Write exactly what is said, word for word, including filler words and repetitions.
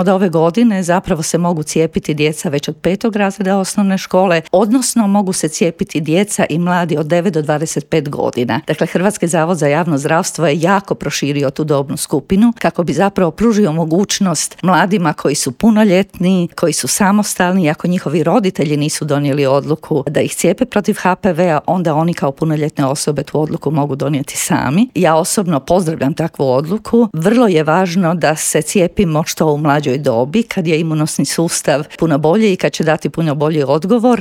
Od ove godine zapravo se mogu cijepiti djeca već od petog razreda osnovne škole, odnosno mogu se cijepiti djeca i mladi od devet do dvadeset pet godina. Dakle, Hrvatski zavod za javno zdravstvo je jako proširio tu dobnu skupinu kako bi zapravo pružio mogućnost mladima koji su punoljetni, koji su samostalni, ako njihovi roditelji nisu donijeli odluku da ih cijepe protiv ha pe ve-a, onda oni kao punoljetne osobe tu odluku mogu donijeti sami. Ja osobno pozdravljam takvu odluku. Vrlo je važno da se cijepimo što u mlađoj dobi, kad je imunosni sustav puno bolji i kad će dati puno bolji odgovor,